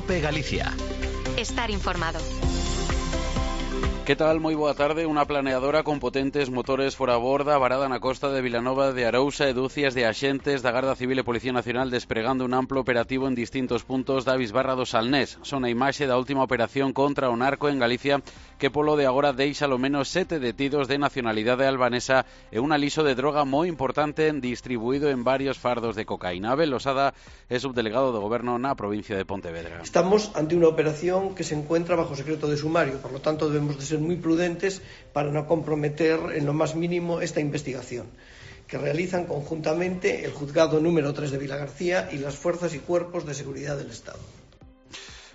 COPE Galicia. Estar informado. Que tal? Moi boa tarde. Unha planeadora con potentes motores fora borda varada na costa de Vilanova de Arousa e dúcias de axentes da Garda Civil e Policía Nacional despregando un amplo operativo en distintos puntos da bisbarra do Salnés. Son a imaxe da última operación contra o narco en Galicia que polo de agora deixa ao menos 7 detidos de nacionalidade albanesa e un aliso de droga moi importante distribuído en varios fardos de cocaína. Abel Losada é subdelegado do Goberno na provincia de Pontevedra. Estamos ante unha operación que se encuentra bajo secreto de sumario, por lo tanto debemos de ser muy prudentes para no comprometer en lo más mínimo esta investigación que realizan conjuntamente el juzgado número 3 de Vilagarcía y las fuerzas y cuerpos de seguridad del Estado.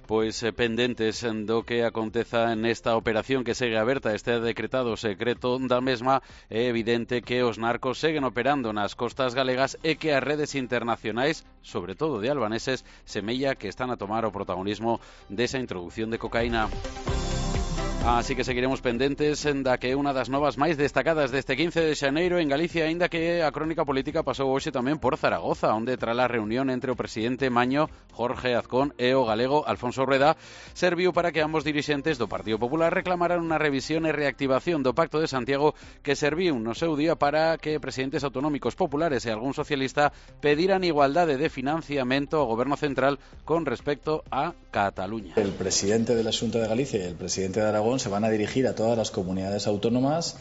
Pois pendentes do que aconteza nesta operación que segue aberta, este decretado secreto da mesma, é evidente que os narcos seguen operando nas costas galegas e que as redes internacionais, sobre todo de albaneses, semella que están a tomar o protagonismo desa introducción de cocaína. Así que seguiremos pendentes da que é unha das novas máis destacadas deste 15 de xaneiro en Galicia, aínda que a crónica política pasou hoxe tamén por Zaragoza, onde tras a reunión entre o presidente Maño, Jorge Azcón e o galego Alfonso Rueda, serviu para que ambos dirixentes do Partido Popular reclamaran unha revisión e reactivación do Pacto de Santiago que serviu no seu día para que presidentes autonómicos populares e algún socialista pediran igualdade de financiamento ao Goberno central con respecto a Cataluña. El presidente de la Xunta de Galicia y el presidente de Aragón se van a dirigir a todas las comunidades autónomas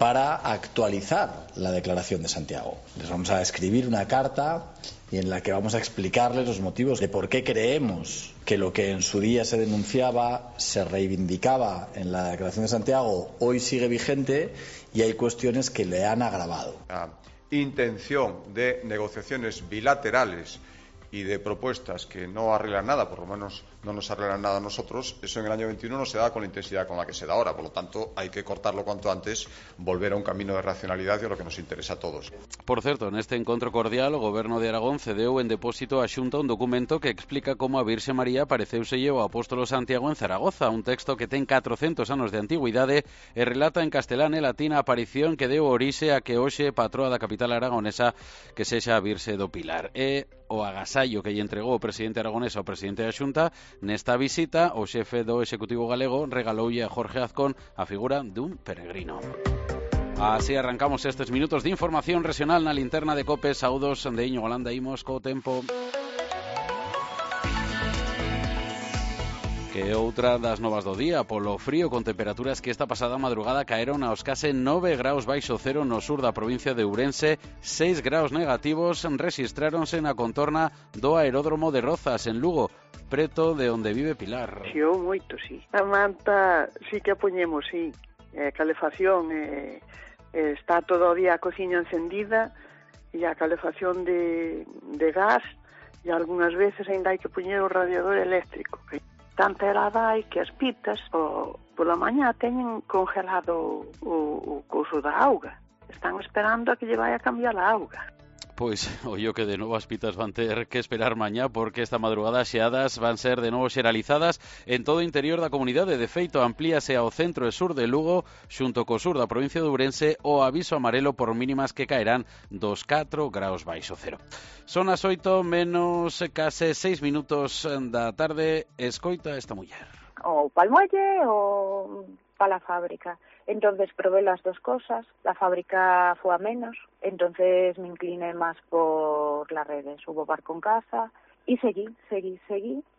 para actualizar la Declaración de Santiago. Les vamos a escribir una carta y en la que vamos a explicarles los motivos de por qué creemos que lo que en su día se denunciaba, se reivindicaba en la Declaración de Santiago, hoy sigue vigente y hay cuestiones que le han agravado. La intención de negociaciones bilaterales y de propuestas que no arreglan nada, por lo menos no nos arreglan nada a nosotros, eso en el año 21 no se da con la intensidad con la que se da ahora, por lo tanto hay que cortarlo cuanto antes, volver a un camino de racionalidad y a lo que nos interesa a todos. Por certo, neste encontro cordial o Goberno de Aragón cedeu en depósito á Xunta un documento que explica como a Virxe María apareceuselle ao apóstolo Santiago en Zaragoza, un texto que ten 400 anos de antigüidade e relata en castelán e latín a aparición que deu orixe a que hoxe patroa da capital aragonesa que sexa a Virxe do Pilar. E o agasallo que lle entregou o presidente aragonés ao presidente da Xunta, nesta visita o xefe do Executivo galego regaloulle a Jorge Azcón a figura dun peregrino. Así arrancamos estes minutos de información regional na linterna de COPE. Saúdos de Iñigo Holanda, imos co tempo. Que outra das novas do día, polo frío con temperaturas que esta pasada madrugada caeron aos case 9 graus baixo cero no sur da provincia de Ourense, 6 graus negativos rexistráronse na contorna do aeródromo de Rozas, en Lugo, preto de onde vive Pilar. Xiou moito, sí. A manta sí que a poñemos, sí. Calefacción, está todo o día a cociña encendida e a calefacción de gas e algunhas veces ainda hai que poñer o radiador eléctrico, que tanta helada hai que as pitas pola mañá teñen congelado o couso da auga. Están esperando a que lle vai a cambiar a auga. Pois, ollo que de novo as pitas van ter que esperar mañá porque esta madrugada as xeadas van ser de novo xeralizadas en todo o interior da comunidade. De feito, amplíase ao centro e sur de Lugo, xunto co sur da provincia de Ourense, o aviso amarelo por mínimas que caerán dos 4 graus baixo cero. Son as 8 menos case 6 minutos da tarde. Escoita esta muller. O pa'l muelle o pa la fábrica. Entonces probé las dos cosas, la fábrica fue a menos, entonces me incliné más por las redes, hubo barco en casa y seguí.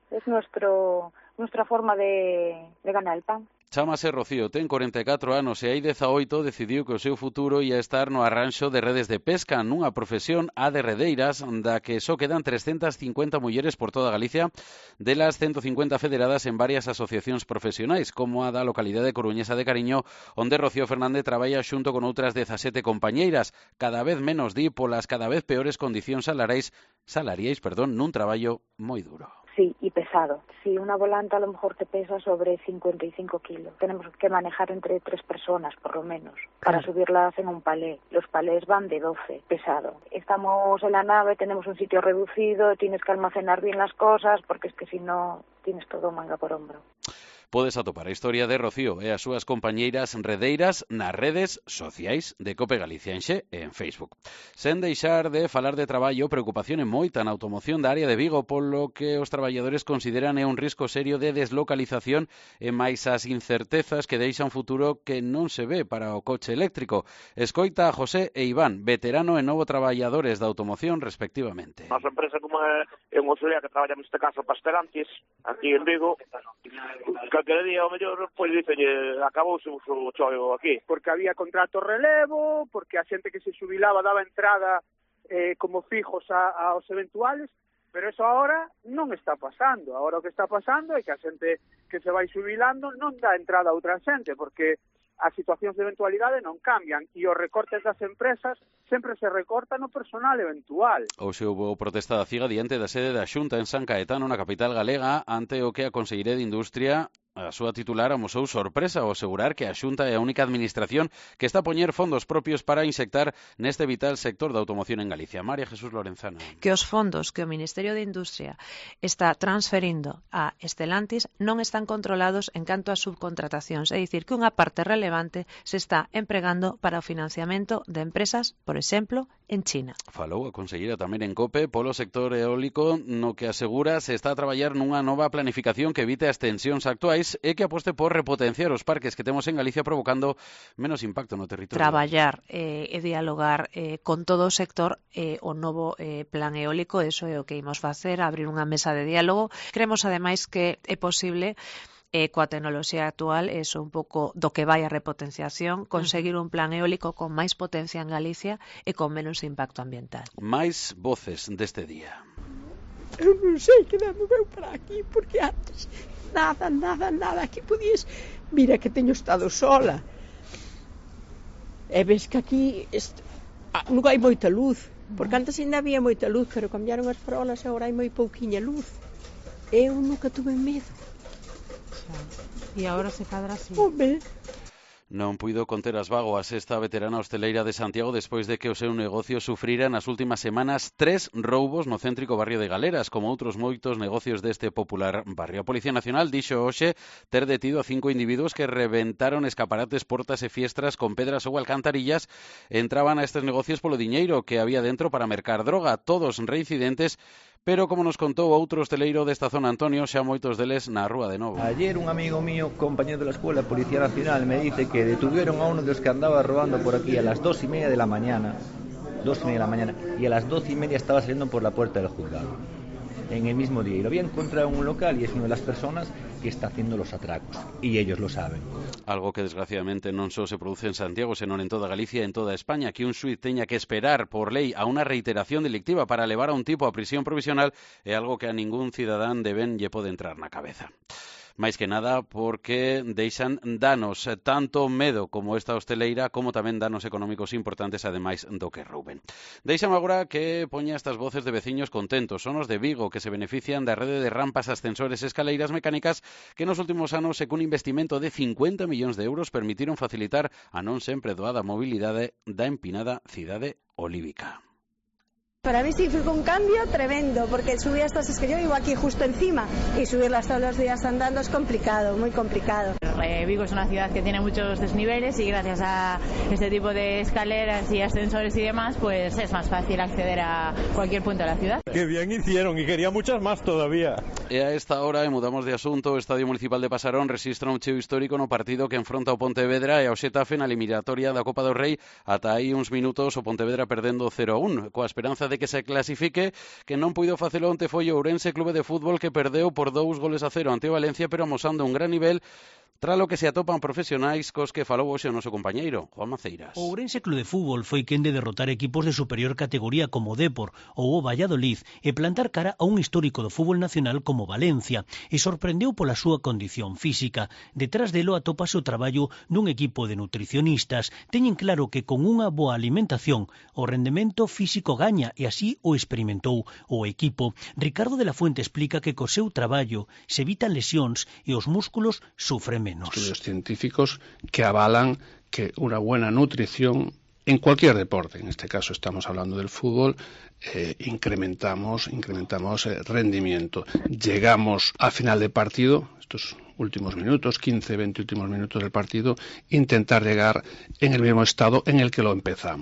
Es nuestra forma de ganar el pan. Chámase Rocío, ten 44 anos e hai 18 decidiu que o seu futuro ia estar no arranxo de redes de pesca, nunha profesión a de redeiras da que só quedan 350 mulleres por toda Galicia, delas 150 federadas en varias asociacións profesionais, como a da localidade coruñesa de Cariño, onde Rocío Fernández traballa xunto con outras 17 compañeiras, cada vez menos polas cada vez peores condicións salariais, nun traballo moi duro. Sí, y pesado. Sí, una volanta a lo mejor te pesa sobre 55 kilos. Tenemos que manejar entre 3 personas, por lo menos, para subirlas en un palé. Los palés van de 12, pesado. Estamos en la nave, tenemos un sitio reducido, tienes que almacenar bien las cosas, porque es que si no, tienes todo manga por hombro. Podes atopar a historia de Rocío e as súas compañeiras redeiras nas redes sociais de Cope Galicia en Xe e en Facebook. Sen deixar de falar de traballo, preocupación é moita na automoción da área de Vigo, polo que os traballadores consideran un risco serio de deslocalización e máis as incertezas que deixa un futuro que non se ve para o coche eléctrico. Escoita a José e Iván, veterano e novo traballadores da automoción respectivamente. Nosa empresa como é unha auxiliar que traballa neste caso para Stellantis, aquí en Vigo, calquera día ao mellor, pois dicelle, acabouse o chollo aquí. Porque había contrato relevo, porque a xente que se xubilaba daba entrada como fijos aos eventuales, pero eso ahora non está pasando. Ahora o que está pasando é que a xente que se vai xubilando non dá entrada a outra xente, porque as situacións de eventualidade non cambian e os recortes das empresas sempre se recortan no personal eventual. Hoxe houve protesta da CIGA diante da sede da Xunta en San Caetano, na capital galega, ante o que a Consellería de Industria, a súa titular, amosou sorpresa ao asegurar que a Xunta é a única administración que está a poñer fondos propios para insectar neste vital sector da automoción en Galicia. María Jesús Lorenzana. Que os fondos que o Ministerio de Industria está transferindo a Stellantis non están controlados en canto a subcontratacións, é dicir, que unha parte relevante se está empregando para o financiamento de empresas, por exemplo, en China. Falou a conselleira tamén en COPE polo sector eólico, no que asegura se está a traballar nunha nova planificación que evite as tensións actuais e que aposte por repotenciar os parques que temos en Galicia provocando menos impacto no territorio. Traballar e dialogar con todo o sector o novo plan eólico, eso é o que imos facer, abrir unha mesa de diálogo. Creemos ademais que é posible coa tecnoloxía actual, eso un pouco do que vai a repotenciación, conseguir un plan eólico con máis potencia en Galicia e con menos impacto ambiental. Máis voces deste día. Eu non sei que me moveu para aquí, porque antes nada, aquí podías... Mira que teño estado sola. E ves que aquí non hai moita luz, porque antes ainda había moita luz, pero cambiaron as farolas e agora hai moi pouquiña luz. Eu nunca tuve medo. E agora se cadra así. Home. Non puido conter as bágoas esta veterana hosteleira de Santiago despois de que o seu negocio sufrira nas últimas semanas 3 roubos no céntrico barrio de Galeras, como outros moitos negocios deste popular barrio. A Policía Nacional dixo hoxe ter detido a 5 individuos que reventaron escaparates, portas e fiestras con pedras ou alcantarillas. Entraban a estes negocios polo diñeiro que había dentro para mercar droga, todos reincidentes, pero como nos contou outro hosteleiro desta zona, Antonio, xa moitos deles na rúa de novo. Ayer un amigo mío, compañero de la escuela, Policía Nacional, me dice que detuvieron a uno de los que andaba robando por aquí a las 2:30 de la mañana, y a las 12:30 estaba saliendo por la puerta del juzgado, en el mismo día, y lo había encontrado en un local y es una de las personas que está haciendo los atracos, y ellos lo saben. Algo que desgraciadamente non só se produce en Santiago, senón en toda Galicia e en toda España, que un xuiz teña que esperar por lei a unha reiteración delictiva para levar a un tipo a prisión provisional é algo que a ningún cidadán de ben lle pode entrar na cabeza. máis que nada porque deixan danos, tanto medo como esta hosteleira, como tamén danos económicos importantes, ademais do que rouben. Deixame agora que poña estas voces de veciños contentos. Son os de Vigo, que se benefician da rede de rampas, ascensores e escaleiras mecánicas que nos últimos anos, e cun investimento de 50 millóns de euros, permitiron facilitar a non sempre doada mobilidade da empinada cidade olívica. Para mí sí fue un cambio tremendo, porque subir estas, es que yo vivo aquí justo encima, y subirlas todos los días andando es complicado, muy complicado. Vigo es una ciudad que tiene muchos desniveles y gracias a este tipo de escaleras y ascensores y demás, pues es más fácil acceder a cualquier punto de la ciudad. Qué bien hicieron, y quería muchas más todavía. E a esta hora, e mudamos de asunto, o Estadio Municipal de Pasarón registra un cheo histórico no partido que enfronta o Pontevedra e ao Xetafe na eliminatoria da Copa do Rei. Ata aí uns minutos o Pontevedra perdendo 0-1, coa esperanza de que se clasifique, que non puido facelo onte foi o Ourense Clube de Fútbol, que perdeu por 2-0 ante o Valencia, pero amosando un gran nivel, tralo que se atopan profesionais cos que falou hoxe o noso compañeiro, Juan Maceiras. O Ourense Clube de Fútbol foi quen de derrotar equipos de superior categoría como Depor ou o Valladolid e plantar cara a un histórico do fútbol nacional como Valencia, e sorprendeu pola súa condición física. Detrás delo atópase o traballo dun equipo de nutricionistas. Teñen claro que con unha boa alimentación o rendemento físico gaña, e así o experimentou o equipo. Ricardo de la Fuente explica que co seu traballo se evitan lesións e os músculos sufren menos. Estudios científicos que avalan que una buena nutrición En cualquier deporte, en este caso estamos hablando del fútbol, incrementamos rendimiento. Llegamos al final del partido, estos últimos minutos, 15, 20 últimos minutos del partido, intentar llegar en el mismo estado en el que lo empezamos.